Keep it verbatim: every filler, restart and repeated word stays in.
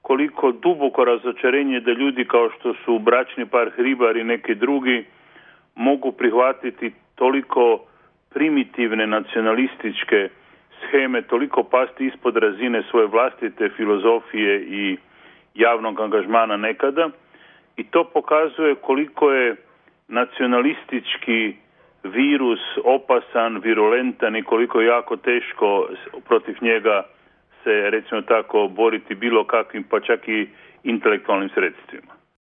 koliko duboko razočarenje da ljudi kao što su bračni par Hribar i neki drugi mogu prihvatiti toliko primitivne nacionalističke sheme, toliko pasti ispod razine svoje vlastite filozofije i javnog angažmana nekada. I to pokazuje koliko je nacionalistički virus opasan, virulentan i koliko je jako teško protiv njega se, recimo tako, boriti bilo kakvim, pa čak i intelektualnim sredstvima.